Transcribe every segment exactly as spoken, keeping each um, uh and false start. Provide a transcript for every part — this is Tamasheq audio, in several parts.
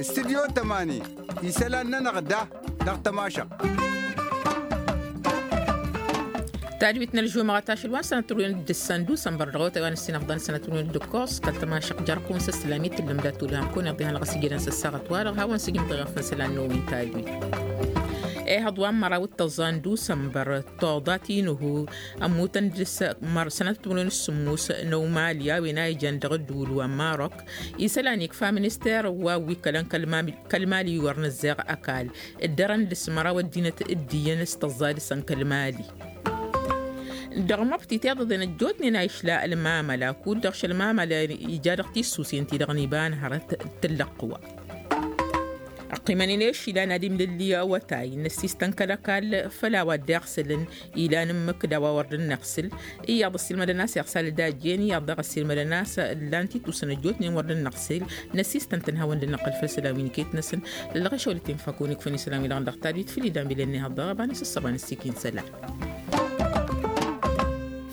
Studyo tămani isălan-nănăɣ da dăɣ-tămašăɣt. Tadwit n-ălžumăɣăt ašăl wa n-sănăt turwen d-ǝssan d-usănbăr dăɣ-otay wa n-ǝssin ăfḍăn sănăt turwen d-ǝkkos kăl-tămašăɣt jer-kăwăn s-ăssălam i-tǝllǝm d-atulhan kăwăn iḍihan ɣas ijădăn s-ăssaɣăt wa-dăɣ hawăn-sǝjǝm tiɣăf n-isălan n-owin tadwit. Ehăḍ wa n-măraw d-tăẓẓa n-dusănbăr toḍa ti n-uhu ămmutăn dăr-s măr sănăt timǝrwen s-sǝmmus n-omali a-wen a ijăn dăɣ-ǝddǝwǝl wa n-marok. Isălan ikfa minister wa wi kălăn kăl-mali wi wăr nǝzzeɣ ăkall ǝddărăn dăr-s măraw ăddinăt d-iyyăn s-tăẓẓa dăr-săn kăl-mali. Dăɣ-măbti tiḍăḍen ăjjootnen a išla ălmamăla kud-dăɣ šălmamăla ija dăɣ-tissusen-ti-dăɣ n-iba n-hărăt d-tǝllăqqǝwa. Ăqqimănen i-ašila n-ad-imlǝlli awătay n-ăssistăn kăl-ăkall făll-a-wa dd-iɣsǝlăn ilan ǝmmǝk d-a-wa wăr dd-năɣsǝl. Iyyăḍ ăssiilmădăn a-s iɣsal d-ajjen iyyăḍ daɣ ăssiilmădăn a-s ǝllan titusăn ăjjootnen wăr dd-năɣsǝl. N-ăssistăn-tăn hawăn-dd-năqqǝl făll-isălan wi n-iket-năsăn. Ǝllăɣ ašăwăl-t-in făkun ikfăn isălan wi-dăɣ n-dăɣ tadwit făll-idam bilăn n-ihăḍ dăɣ-ăbanăs ăssăba n-ăssikin isălan.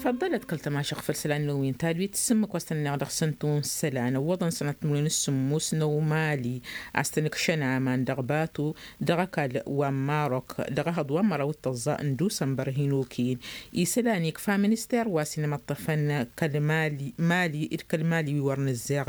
Făḍḍălăt kăl-tămašăɣ făll-isălan n-wi n-tadwit s-ǝmmǝk wa s-tăn-ănneɣ dăɣ-săn tun isălan ăwwăḍăn sănăt timǝrwen s-sǝmmus n-omali. A-s tăn-ǝkšăn aman dăɣ-batu dăɣ-ăkall wa n-marok dăɣ-ehăḍ wa n-măraw d-tăẓẓa n-dusănbăr hin-okăyăn. Isălan ikfa minister wa s-inmăṭṭăfăn kăl-mali mali d-kăl-mali wi wăr nǝzzeɣ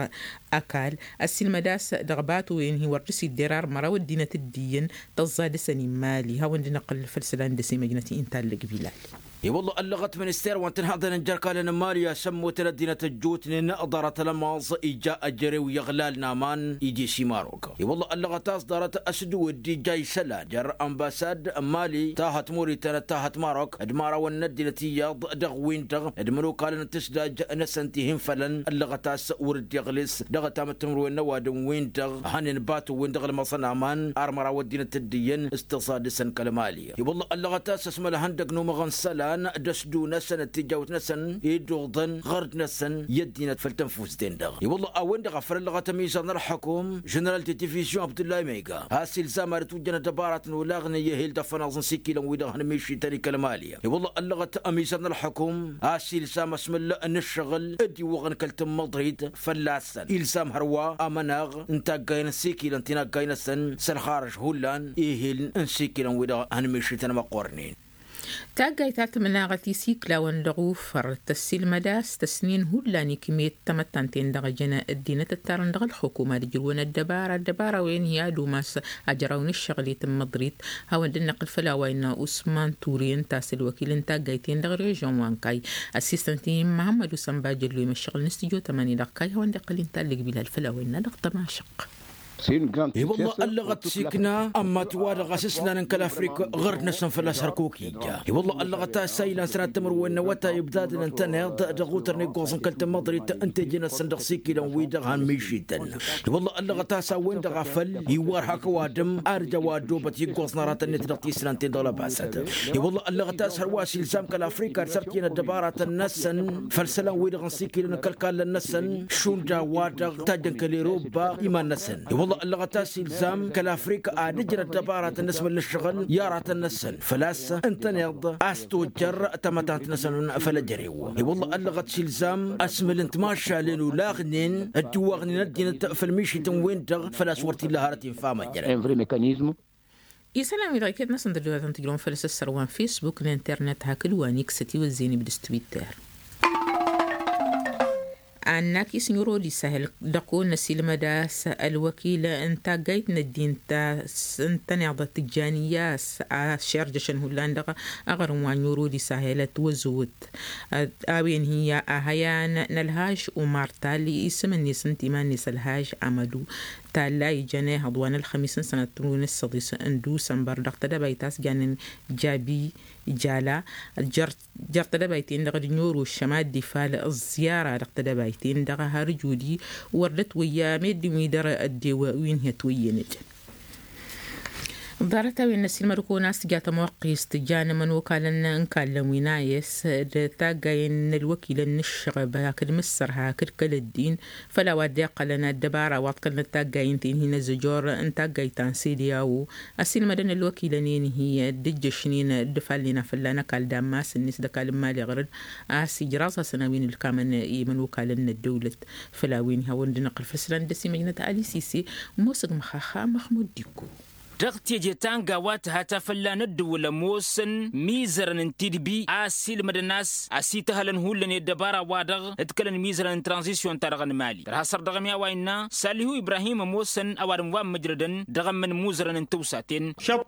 ăkall ăssiilmăd a-s dăɣ-batu-wen hi-wăr dăr-s idder ar măraw ăddinăt d-iyyăn tăẓẓa dăr-săn i-mali hawăn-dd-năqqǝl făll-isălan dăr-s imăjnăt inta ăllăg bilal. I-wălla ăllăɣăt minister wa n-tǝnhăḍăn n-jer-kalăn n-mali a-s ămmutăn ăddinăt ăjjootnen ḍarăt ălămaẓ ija ăjrew i-ăɣlal n-aman idis i-marok. I-wălla ăllăɣăt a-s ḍarăt ăsdǝwǝd ija isălan jer-ănbasad n-mali tahăt murităn d-tahăt marok d-imărawăn n-ăddinăt iyyăḍ dăɣ-win-dăɣ d-imănokalăn n-tǝsdaj-năsăn ti hin-fălăn ăllăɣăt a-s wăr dd-iɣlǝs dăɣ-ătamăttămrǝwen n-ăwadǝm-win-dăɣ hănen batu-win-dăɣ ălmăẓăn aman ar măraw ăddinăt d-iyyăn s-tăẓadǝsăn kăl-mali. I-wălla ăllăɣăt a-s ăsmăl ihăndăg n-umăɣ n-isălan d-ăsdǝw-năsăn d-tijawt-năsăn iduḍăn ɣărd-năsăn i-ăddinăt făll-tănfust-en-dăɣ. I-wălla a-wen-dăɣ a făl ăllăɣăt ămizăr n-ălxukum ženeral de divizion abdullah mega a-s ilzam ad-ătwǝjjăn ăddăbarat n-olaɣnen i-ehel d-afănaẓ n-isikilăn-wi-dăɣ hăn mišităn i-kăl-mali. I-wălla ăllăɣăt ămizăr n-ălxukum a-s ilzam ăsmǝl n-ǝššăɣǝl d-iwwăɣăn kăl-tǝmmăḍrit fălla-săn ilzam hărwa amănaɣ n-taggay n-isikilăn tinaggay-năsăn s-ălxarăž hullan ihil n-isikilăn-wi-dăɣ hăn mišităn măqqornen. Taggayt ta tǝmnaɣăt isiklawăn dăɣ-ufăr tăssiilmăd a-s tăsnin hullan ikmet tamăttant-en-dăɣ jăn ăddinăt ǝttarăn dăɣ-ălxukuma d-ǝjrǝwăn ăddăbara ăddăbara-wen hi-ad-umas ajraw n-ǝššăɣǝl i-tǝmmăḍrit. Hawăn-dd-năqqǝl făll-a-wa innă usman ture ǝnta a-s ălwăkil n-taggayt-en dăɣ-režăn wa n-kayy ăssistăn-t-in măhămmăd usănba jăllu i-măššăɣǝl n-studyo tămani dăɣ-kayy hawăn-dd-iqqăl inta ălligbila d-făll-a-wa innă dăɣ-tămašăq. I-wălla ăllăɣăt s-ikna ămmăt-wa-dăɣ a-s ǝslanăn kăl-afrik ɣărd-năsăn fălla-s hărkuk ija. I-wălla ăllăɣăt a-s a ilan sănat timǝrwen n-awătay ǝbdadăn ǝntăneḍ dăɣ-utăr n-iggoẓ n-kăl-tǝmmăḍrit n-teje-năsăn dăɣ-sikilăn-wi-dăɣ han mišităn. I-wălla ăllăɣăt a-s a-wen-dăɣ a făl iwwar hak ăwadǝm ar ija wa ăddoobăt iggoẓ n-aratăn-net dăɣ-tislan-ten-dăɣ lăbasăt. I-wălla ăllăɣăt a-s hărwa a-s ilzam kăl-afrika ad-sărtǝyăn ăddăbaratăn-năsăn făll-isălan-wi-dăɣ n-sikilăn kăl-kallăn-năsăn šund a-wa-dăɣ tajjăn kăl-erobba iman-năsăn. I-wălla ăllăɣăt a-s ilzam kăl-afrika ad-ǝjrăt ăddăbaratăn n-asmǝl n-ǝššăɣǝl i-aratăn-năsăn făl-a-s ǝntăneḍ a-s tojjăr tamătant-năsăn făll-ejărew. I-wălla ăllăɣăt s-ilzam asmǝl n-timašalen olaɣnen dd-iwaɣnen ăddinăt făll-mišităn-wen-dăɣ făl-a-s wăr t-illa hărăt infa măjrăd. Isălan-wi-dăɣ iket-năsăn dăr-dăwătăn tǝjrăwăn făll-asăssăr wa n-fesbuk n-internet hakd wa n-iksăt iwăzzeyăn ibdǝs twitter. Annakis n-irodis ahel dăɣ-kăwăn-năsilmăd a-s ălwăkil n-taggayt n-ăddin ta s-ǝntăneḍ tǝjjan iyyas a šerjăšăn hullan dăɣ-aɣrǝm wa n-irodis ahel ătwăzăwăt a-wen hi-a hăyan n-ălhaj umar talli isǝm-net ǝnta iman-net ălhaj amădu. Talla ijăn ehăḍ wa n-ălxămis n-sănăt timǝrwen s-săḍis n-dusănbăr dăɣ-tedăbayt a-s jannen jabi jala jer-tedăbayt-en-dăɣ d-ănniorosăm ad-dd-ifal ăẓẓiyara dăɣ-tedăbayt-en-dăɣ har ǝjudi wăr dd-ătwăyya meddǝn wi dăr-ăddew wi n-hi-ătwăyyăn ăjăn. Ḍarăt-a-wen n-ăssiilmăd-kăwăn a-s tǝja tămoqqist tǝja n-imănokalăn n-kallăn wi n-ayǝs d-taggayen n-ălwăkilăn n-ǝššăɣăb hakd mǝssărha hakd kăl-ăddin făll-a-wa dd-iqqălăn ăddăbara wa ǝḍkălnăt taggayen ti n-hin-ăzzăjor n-taggayt ta n-sede a-wo. Ăssiilmădăn ălwăkilăn-en-hi d-ǝjjăšnen d-ǝfalnen a fălla n-ăkall d-ammas-net d-ăkall n-imali ɣur-dd a-s ijraẓ-asăn a-wen ǝlkamăn i-imănokalăn n-ăddăwlăt. Făll-a-wen ihawăn-dd-năqqǝl făll-isălan dd-ăsimăjnăt ali sise. Ămoosăg măxaxa măxmud dikko. Dăɣ-teje ta n-gawa tǝha ta fălla n-ăddǝwǝl ămoosăn imizărăn n-tidbi a ăssiilmădăn a-s ăsităhălăn hullan i-ăddăbara-wa-dăɣ ǝḍkălăn imizărăn n-tranzisyon-ta-dăɣ n-imali tărha săr dăɣ-mi a-wa innă salihu ibrahim ămoosăn ăwadǝm wa n-mǝjrădăn dăɣ-ămmăn imuzărăn n-tawsaten.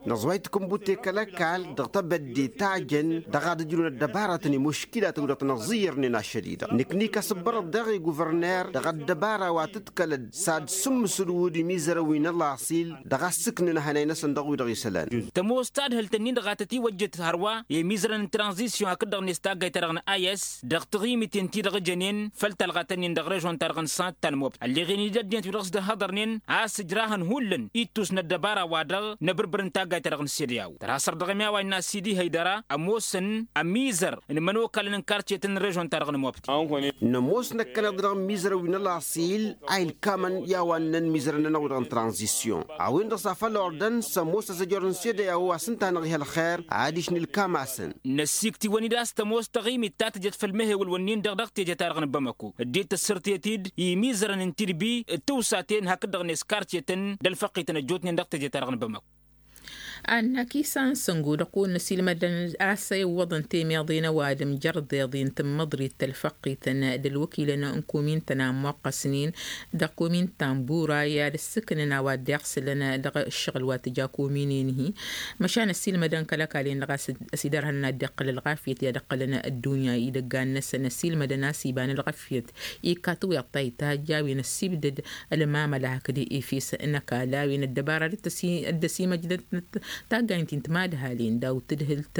Năẓway takǝnbut i-kăl-ăkall dăɣ-tebădde ta jăn dăɣ-ad-ǝjrǝwăn ăddăbaratăn i-muškilatăn wi dăɣ-tăn-ăẓẓiyyărnen ašăl-i-dăɣ nǝknǝy kăsǝbbărăt daɣ i-guvărner dăɣ-ăddăbara wa tǝḍkălăd s-ad-sǝmmǝsǝl wud imizărăn wi n-ălaṣil dăɣ-a ǝssǝknăn ăhănay-năsăn dăɣ-wi-dăɣ isălan. Tămoos tadhǝlt-ǝnnin-dăɣ a tătiwăjjăt hărwa i-imizărăn n-tranzisyon hakd-dăɣ-net taggayt-ta-dăɣ n-ayǝs dăɣ-taɣimiten-ti-dăɣ jănen făll-talɣat-ǝnnin dăɣ-režon-ta-dăɣ n-sant ta n-mobta ălleɣen-dd ăddinăt wi dăɣ-s dd-ănhăḍărnen a-s ǝjrahăn hullan ittus n-ăddăbara-wa-dăɣ n-abǝrbǝr n-taggayt-ta-dăɣ n-sede a-wen tărha săr dăɣ-mi a-wa innă sidi hăydăra ămoosăn ămizăr n-imănokalăn n-kartyetăn n-režon-ta-dăɣ n-mobta. Nămoos năkkăneḍ dăɣ-imizărăn wi n-ălaṣil a ilkamăn i-a-wa ǝnnăn imizărăn-nănăɣ wi-dăɣ n-tranzisyon a-wen-dăɣ s-afăl ordăn s-ămoos ăzăjor n-sede a-wa s-ǝnta-năɣ ih' ălxer adiš n-ilkam-asăn. Năssiiktiwăn-dd a-s tămoos taɣimit ta tǝjăt făll-mehewăl-wǝnnin-dăɣ dăɣ-teje-ta-dăɣ n-bamăko dd-tăssărtet-dd i-imizărăn n-tidbi d-tiwsaten hakd-dăɣ n-eskartyetăn d-ălfăqqităn ăjjootnen dăɣ-teje-ta-dăɣ n-bamăko. Annak isan săngu dăɣ-kăwăn-năsilmădăn a-s a iwwăḍăn temeḍe n-ăwadǝm jărdeḍen tǝmmăḍrit tălfăqqităn d-ălwăkilăn n-komin-tăn a ămmoqqăsnen dăɣ-komin ta n-bura i-ad-ǝssǝknăn a-wa dd-iɣsǝlăn dăɣ-ǝššăɣǝl wa tǝja komin-en-hi. Măšan ăsilmădăn kăl-ăkall-en-dăɣ a-s ăsidărhănăn ad-dd-iqqăl ălɣafyăt i-ad-ǝqqălăn ăddunya idăggan-năsăn ăsilmădăn a-s iba n-ălɣafyăt ikka tawyaḍt ta ittajj a-wen ăssibdăd ălmamăla hakd efes n-ăkall a-wen ăddăbara dd-ăsimăjdăt taggayen ti n-timadhalin daw-tǝdhǝlt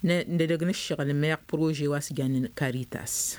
n-edăgg n-ǝššăɣǝl meɣ prože wa s-jannen karitas.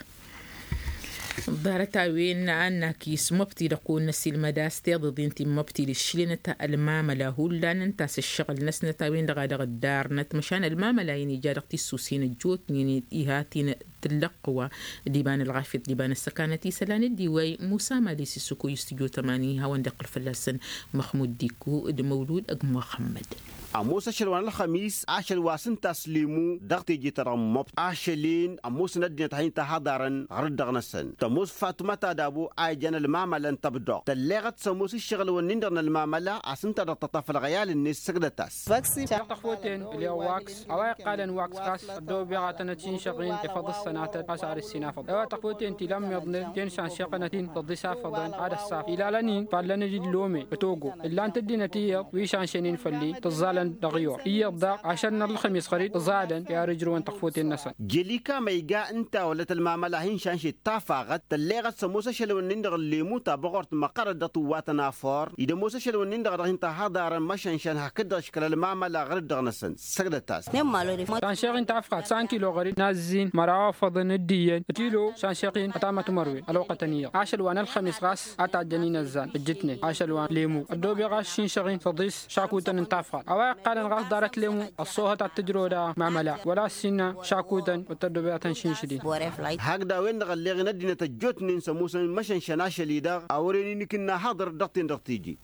Ḍarăt-a-wen a n-akis măbti dăɣ-kăwăn-năsilmăd a-s tiḍăḍin ti n-măbti d-išlenăt ălmamăla hullan ǝnta a-s ǝššăɣǝl-năsnăt a-wen-dăɣ a dăɣ-ǝddarnăt măšan ălmamăla-in ija dăɣ-tissuse n-ăjjootnen ihatin tǝllăqqǝwa d-iba n-ălɣafyăt d-iba n-ăssăkanăt isălan dd-iwăy musa mali s-issǝkuy s-tijot ămani hawăn-dd-iqqǝl fălla-săn măxmud dikku d-măwlud ăgg muxămmăd. Ămoos ašăl wa n-ălxămis ašăl wa s-ǝnta a-s lemu dăɣ-teje-ta-dăɣ n-măbt ašăl-en ămoosăn ăddinăt ad-hin-tahaḍarăn ɣur-dd dăɣ-năsăn tămoos fatuma ta dabo a ijan ălmamăla n-tăbdoɣt tălleɣăt s-ămoos ǝššăɣǝl-wǝnnin-dăɣ n-ălmamăla a-s ǝnta dăɣ-tăṭṭaf ălɣăyal-net săgdăt-as. Dăɣ-tăxfoten ǝlleɣ waks a-wa iqqalăn waks ɣas ăddoobeɣ ad-tănăt-sinšăɣ-in efăḍ s-sănatăt a-s ad-ǝssin afăḍăn a-wa tăxfoten ti lammăḍnen ten šanšeɣ-tănăt-in tăḍis afăḍăn ad-ăssaf ilalăn-in fallăn-dd illome ătogo ǝllan-t ăddinăt iyyăḍ wi šanšănen făll-i tǝẓẓalăn dăɣ-iyyăḍ iyyăḍ daɣ ašăl n-ălxămis ɣăr-dd ǝẓalăn i-ad-ǝjrǝwăn tăxfoten-năsăn. Jelika ma iga ǝnta wălăt ălmamăla hin-šanšet tafaɣăt tălleɣăt s-ămoos ašăl-wǝnnin-dăɣ n-lemu ta băɣort măqqărăt dăɣ-tǝwwatăn afor-i d-ămoos ašăl-wǝnnin-dăɣ a dăɣ-hin-tahaḍarăn măšănšăn hakd-dăɣ ǝškăl ălmamăla ɣur-dd dăɣ-năsăn. Săgdăt-as. Šanšeɣ-in tafɣat s-ankilo ɣăr-dd n-azzin măraw afăḍăn d-iyyăn kilo šanšeɣ-in ătamătmărwen ălwăqqătăn iyyăḍ ašăl wa n-ălxămis ɣas a tajjăn-in ăzzan ǝjjǝtnen ašăl wa n-lemu ăddoobeɣ a-s šinšăɣ-in tăḍis šakutăn n-tafɣat a-wa iqqalăn ɣas ḍarăt lemu ăṣṣoohăt ad-tǝjrăw d-amăla wăla ăssinnă šakutăn wăr tăddobeɣ ad-tăn-šinšǝd-in. Hakd a-wen-dăɣ ălleɣ-in ăddinăt ăjjootnen s-ămoosăn măšănšăn ašăl-i-dăɣ a wăren-in ikǝnna haḍăr dăɣ-ten-dăɣ teje.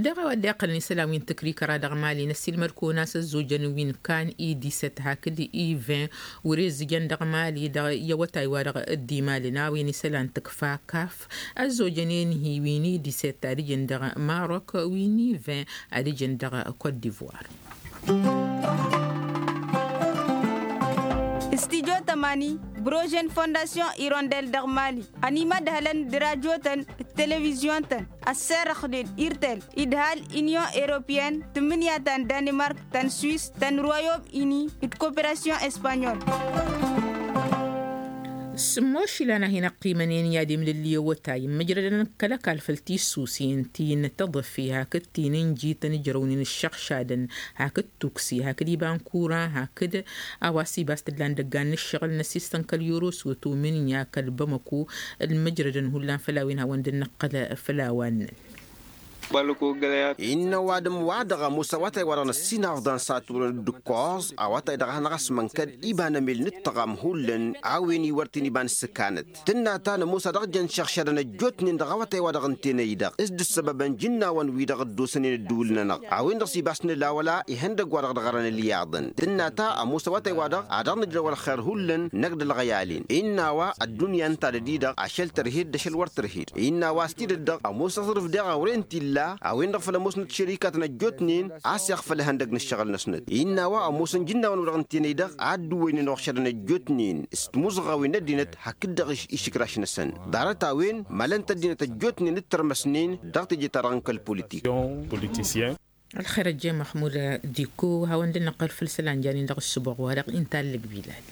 Dăɣ-a-wa dd-iqqălăn isălan wi n-tǝkrikăra dăɣ-mali n-ăssiilmăd-kăwăn a-s ăzzojăn wi n-kan i-disăt hakd i-vin wăr-e ǝzzǝjăn dăɣ-mali dăɣ-i awătay-wa-dăɣ dd-imalăn a-wen isălan tǝkfa kaf ăzzojăn-en-hi wi n-i-disăt ad-ǝjǝn dăɣ-marok wi n-i-vin ad-ǝjǝn dăɣ-kot divoir. Stijo tămani brožen fondasyon irondel dăɣ-mali ănimădhălăn d-rajotăn d-televizyon-tăn ăsserăxnen irtel idhal inyon eropyen tǝmmǝnǝya ta n-danimark ta n-swis ta n-royom ini d-koperasyon espanyol. S-ămmošlan a hin-ăqqimănen i-ad-imlǝlli awătay n-imǝjrădăn kăl-ăkall făll-tissusen ti n-tăḍăfe hakd ti n-injităn ǝjrăwnen ǝššăɣšadăn hakd tuksi hakd iba n-kura hakd a-wa s-ibas tǝllan dăggan n-ǝššăɣǝl n-ăsistăn kăl-yoroswăto mǝnǝya kăl-bamăko ălmǝjrădăn hullan făll-a-wen hawăn-dd-nǝqqǝl făll-a-wa ǝnnăn. Innă ăwadǝm-wa-dăɣ ămoos awătay-wa-dăɣ n-ăssinafḍan s-ad-t-wăren dd-ǝkkoẓ awătay-dăɣ a hanăɣ-asmănkăd iba n-emel n-ǝttăɣam hullan a-wen iwăr t-in-iba n-sǝkanăt. Tǝnna ta n-ămoos a dăɣ-jăn šăɣšădăn ăjjootnen dăɣ-awătay-wa-dăɣ ǝnta enăy-dăɣ s-dd-ǝssăbăbăn ijǝnnawăn-wi-dăɣ dd-osănen ăddǝwǝl-nănăɣ a-wen-dăɣ s-ibas n-ǝlawăla ihăndăgg-wa-dăɣ dăɣ-arăn ǝlyaḍăn. Tǝnna ta ămoos awătay-wa-dăɣ a dăɣ-nǝjrăw ălxer hullan năkk d-ǝlɣăyalen. Innă a-wa ăddunya ǝnta dăd-i-dăɣ ašăl tărhed d-ašăl wăr tărhed. Innă a-wa s-tidǝt dăɣ-ămoos aẓrǝf deɣ awren t-illa a-wen-dăɣ făl ămoosnăt šărikatăn ăjjootnen a-s iɣfăl ihăndăgg n-ǝššăɣǝl-năsnăt. Innă a-wa ămoosăn ijǝnnawăn-wi-dăɣ ǝnta enăy-dăɣ a dd-uwwăynen uɣšădăn ăjjootnen s-timuzɣawin n-ăddinăt hakd-dăɣ išǝkraš-năsăn. Ḍarăt-a-wen mălăn-t ăddinăt ăjjootnen d-tărmăsnen dăɣ-teje-ta-dăɣ n-kăl-politik. Ălxer ăjjeen măxmud dikko hawăn-dd-năqqăl făll-isălan janin dăɣ-ǝssǝboɣ-wa-dăɣ inta ăllăg bilal.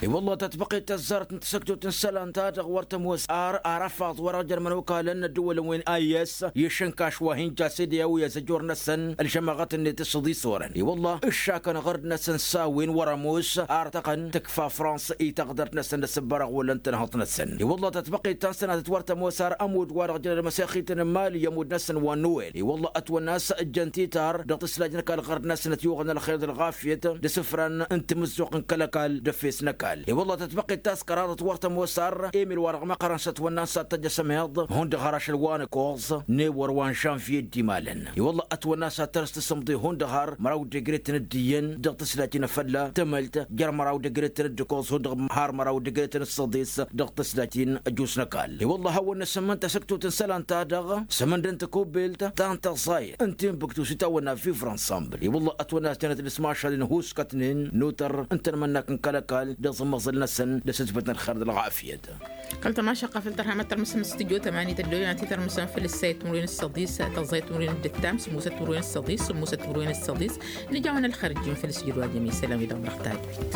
I-wălla tatbăqet tăzzarăt n-tasăktot n-isălan-ta-dăɣ wăr tămoos ar arăfaḍ wăr-ăjrămăn okal n-ăddǝwălăn wen a i-s i-išǝnkaš wa hin-ja s-ede a-wi ăzăjor-năsăn ălžămaɣăt-net s-iḍisorăn i-wălla ǝššakăn ɣărd-năsăn s-a-wen wăr-ămoos ar tăɣăn tǝkfa frans i-taɣdărt-năsăn d-asǝbbărăɣ wălăn tănhăḍt-năsăn i-wălla tatbăqet ta n-sănatăt wăr tămoos ar ămudd wa dăɣ-jăn ălmăsexit n-mali i-ămudd-năsăn wa n-nuwel i-wălla ătwănna a-s ǝjjăn titar dăɣ-tǝslaj n-ăkall ɣărd-năsnăt i-uɣǝn ălxer d-ălɣafyăt d-asǝfran n-timǝzzuɣt n-kăl-ăkall d-efes n-ăkall i-wălla tatbăqet ta s-kăraḍăt wăr tămoos ar emil wa dăɣ-măqărăn s-ătwănna a-s ad-t-ăj asămeḍ hundăɣ har ašăl wa n-ăkoẓ n-ewăr wa n-žănvye dd-imalăn i-wălla ătwănna a-s ad-tărǝs tasǝmḍe hundăɣ har măraw d-egretăn dd-iyyăn dăɣ-tǝslaj n-afălla tămălt jer-măraw d-egretăn dd-ăkoẓ hundăɣ har măraw d-egretăn s-săḍis dăɣ-tǝslaj n-ăjus n-ăkall i-wălla hawăn-năsǝmmǝn tasǝktot n-isălan-ta-dăɣ sămăndăn tăkobelt ta n-tăẓẓayăt n-tinbǝktu s-itawănna vivre ensemble i-wălla ătwănna a-s jănăt d-asmašal n-huskătnen n-otăr n-tanmănnakt n-kăl-ăkall d-aẓǝmmăẓǝl-năsăn d-asǝtbăt n-ălxer d-ălɣafyăt. Kăl-tămašăqqa făll-tărhamăt tărmǝsăm s-tǝjjo tămani tăddolăn ad-t-tărmǝsăm făll-ǝssayăt timǝrwen s-săḍis tăẓẓayăt timǝrwen d-ǝttam sǝmmosăt timǝrwen s-săḍis sǝmmosăt timǝrwen s-săḍis. Nǝjawăn ălxer ǝjjǝn făll-isǝjǝd wa jămesălam-i-dăɣ dăɣ-tadwit.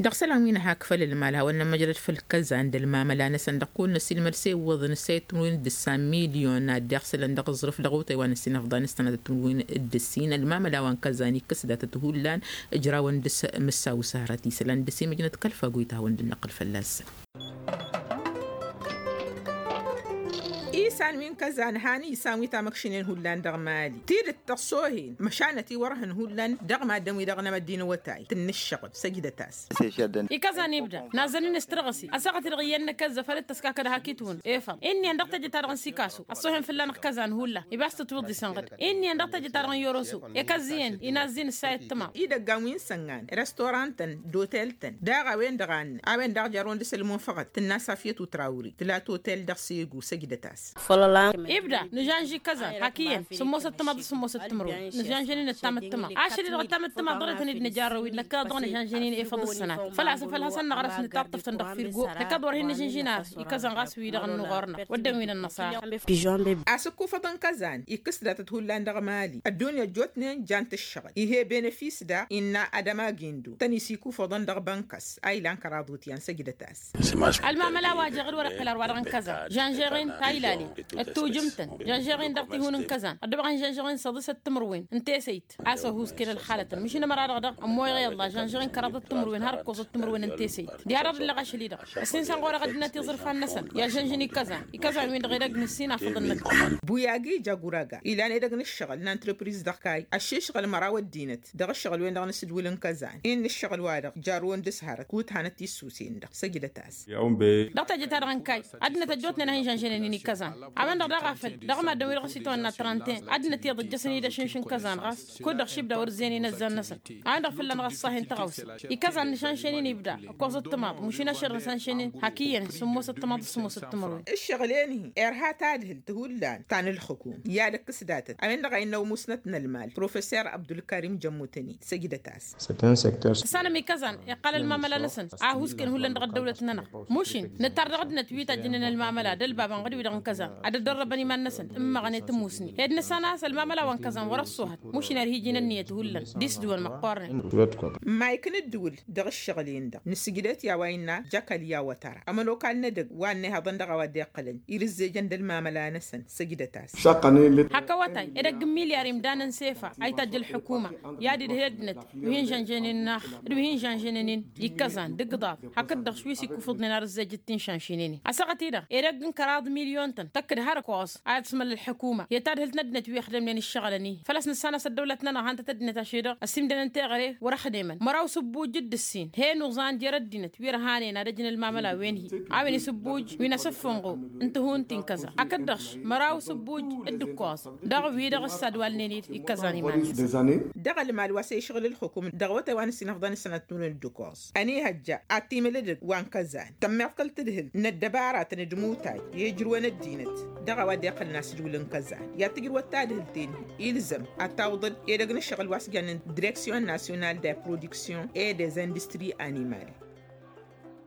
Dăɣ-isălan wi n-hak făll-ălmal hawăn-nămmăjrăd făll-kăzan d-ălmamăla-năsăn dăɣ-kăwăn-năsilmăd s-e iwwăḍăn ǝssayăt timǝrwen d-ǝssan milyon ad-dd-iɣsǝlăn dăɣ-aẓrǝf dăɣ-otay wa n-ăssinăfḍan s-tănatăt timǝrwen d-ǝssin ălmamăla wa n-kăzan ikkăs datăt hullan ǝjrawăn dăr-s mǝssaw s-hărăt isălan dăr-s imǝjnăt kăl-fagoyt a hawăn-dd-năqqǝl fălla-săn. Isan wi n-kăzan han isan wi tamăkšinen hullan dăɣ-mali tidǝt tăṣṣohen măšanăt-i wăr hăn hullan dăɣ-maddǝn-wi-dăɣ n-amăddin awătay tǝnnǝššăɣǝb săjdăt-as. Ikăzan ibda nazzăn-in s-tărɣǝsi ăssaɣăt-i-dăɣ iyyăn n-akăzzăf ad-dd-tăskakăd hak itwǝn efăḍ. Inn'-iyyăn dăɣ-tejăt-ta-dăɣ n-sikasu ăṣṣohen fălla-năɣ kăzan hullan ibas tǝtwǝḍ isănɣăd. Inn'-iyyăn dăɣ-tejăt-ta-dăɣ n-yoroso ekăzz iyyăn inazz-in ǝssayăt tǝmaḍ. Idăggan wi n-săngan restaurant-tăn d-otel-tăn daɣ a-wen-dăɣ a ănnăn a-wen daɣ jarrăwăn dăr-s ălmunfăɣăt tǝnna safiyăt utrawri tǝla totel dăɣ-segu săjdăt-as. Ibda nǝžanži kăzan hak iyyăn sǝmmosăt timaḍ d-sǝmmosăt timǝrwen nǝžanžăn-in ăttam d-timaḍ ašăl-i-dăɣ ăttam d-timaḍ dăɣ-nătăn-dd nǝjarrăw-dd năkk a-dăɣ nǝžanžăn-in efăḍ d-sănatăt făl-a-s n-făl hasăn-năɣrăs nǝtaṭṭăf-tăn dăɣ-firgo năkk a-dăɣ wăr hin-nǝžǝnži n-arǝs ikăzăn ɣas wi-dăɣ ănnuɣur-năɣ wădden wi n-ănnăṣara. Asǝkkufăḍ n-kăzan ikkǝs datăt hullan dăɣ-mali ăddunya ăjjootnen jan-t ǝššăɣǝl ih' e-benefis daɣ innă ad-ămagindu tăn-isikufăḍăn dăɣ-bănkăs a ilan kăraḍ utyan săjdăt-as. Ălmamăla wa jeɣ d-wăr-iqqǝl ar-wa-dăɣ n-kăzan žănžeɣ-in ta ilalen d-tujǝmt-tăn žănžeɣ-in dăɣ-tihun n-kăzan ăddăbăɣăn žănžeɣ-in săḍisăt timǝrwen n-tesăyt a-s ăhuusken ălxalătăn măšin ămăra-dăɣ dăɣ-ămmoyăɣ i-ălla žănžăɣ-in kăraḍăt timǝrwen har ǝkkoẓăt timǝrwen n-tesăyt. Diha-dăɣ d-ǝlleɣ ašăl-i-dăɣ ăssin săn ɣur-e ɣăddinăt iẓrǝfan-năsăn i-ažănžăn i-kăzan. Ikăzan-win-dăɣ edăgg n-ǝssin afăḍăn-năk. Buyagi jaguraga ilan edăgg n-ǝššăɣǝl n-antrăpriz dăɣ-kay ăššišɣǝl măraw ăddinăt dăɣ-ǝššăɣǝl-wen-dăɣ n-asǝdwǝl n-kăzan-in n-ǝššăɣǝl-wa-dăɣ jarrăwăn d-ǝshărăt kut hanăt-tissusen-dăɣ săjdăt-as. Dăɣ-teje-ta-dăɣ n-kay ăddinăt ăjjootnen a hin-žănžănen-in i-kăzan. A-wen-dăɣ daɣ a făl dăɣ-maddǝn-wi-dăɣ s-itawănna trănten ăddinăt iyyăḍ ǝjjăsăn-dd ašǝnš n-kăzan ɣas kud-dăɣ šibda wăr-ǝzzeyăn inăzzan-năsăn. A-wen-dăɣ fălla-năɣ ăṣṣahen tăɣawse ikăzan nǝšanšen-in ibda ǝkkoẓăt timaḍ mušin ašăr nǝšanšen-in hak iyyăn sǝmmosăt timaḍ d-sǝmmosăt timǝrwen. Ǝššăɣǝl-en-hi irha tadhǝlt hullan ta n-ǝlxǝkum i-ad-ǝkkǝs datăt a-wen-dăɣ a innă umusnăt n-ălmal professor abdulkarim jămmutăni săjdăt-as. Tǝssanăm ikăzan iqqal ălmamăla-năsăn a ăhuusken hullan dăɣ-ăddăwlăt-nănăɣ. Mušin nǝttar dăɣ-ăddinăt wi tajjǝnen ălmamăla d-ălbabăn ɣǝd-wi-dăɣ n-kăzan ad-ăddărrăbăn iman-năsăn ǝmmăɣăn i-tămusni hed nǝssan a-s ălmamăla wa n-kăẓan wăr-ăṣṣuhăt. Mušner hi-iji n-ǝnniyăt hullan d-isdǝwăn măqqoornen. Măyk n-ǝddǝwǝl dăɣ-ǝššăɣǝl-en-dăɣ nǝsǝjdăt i-a-wa innă jakăl i-awătăra ămănokal n-edăgg wa n-ehăḍăn dăɣ-a-wa dd-iqqălăn irǝzzejăn d-ălmamăla-năsăn. Sǝjdăt-as. Hak awătay edăgg n-milyar imdanăn s-efa a itajj ălḥukuma i-ad-idhǝl ăddinăt wi hin-žănžănen n-ax d-wi hin-žănžănen-in ikkăẓan d-igǝḍaḍ. Hakd-dăɣ š-wi s-ikkufǝḍnen arǝzzejăt tinšanšinen-in ăsăɣăt-i-dăɣ edăgg n-kăraḍ milyon-tăn tăkk-dd har ǝkkoẓ a iḍsǝmăl ălḥukuma i-tadhǝlt n-ăddinăt wi ixdămnen ǝššăɣǝlăn-i. Făl-a-s nǝssan a-s ăddăwlăt-nănăɣ han-tăt ăddinăt ašăl-i-dăɣ ăsimdănăn teɣăre wăr-ăxdemăn măraw s-ǝbbuj d-ǝssin he nuẓan jer-ăddinăt wi ărhanen ad-ăjǝn ălmamăla wen-hi a-wen isǝbbuj wi n-asǝffǝnɣu n-tihun ti n-kăza hakd-dăɣ-š măraw s-ǝbbuj d-ǝkkoẓ. Dăɣ-wi-dăɣ ǝssadwalnen-dd ikkăẓan iman-năsăn. Dăɣ-ălmal wa s-e-išɣǝl ǝlxǝkum dăɣ-awătay wa n-ǝssin ăfḍăn s-sănăt n-unǝn d-ǝkkoẓ ănihăjja ad-t-imǝl edăgg wa n-kăzan tămmiḍkăl tǝdhǝl n-ăddăbaratăn d-imutay i-ijrǝwăn ăddinăt dăɣ-a-wa dd-iqqălăn asǝjwǝl n-kăzan i-ad-tǝjrǝwăt tadhǝlt-en-hi. Ilzăm ad-tawǝḍăl edăgg n-ǝššăɣǝl wa s-jannen direksyon nasyonal de produksyon e des industri animal.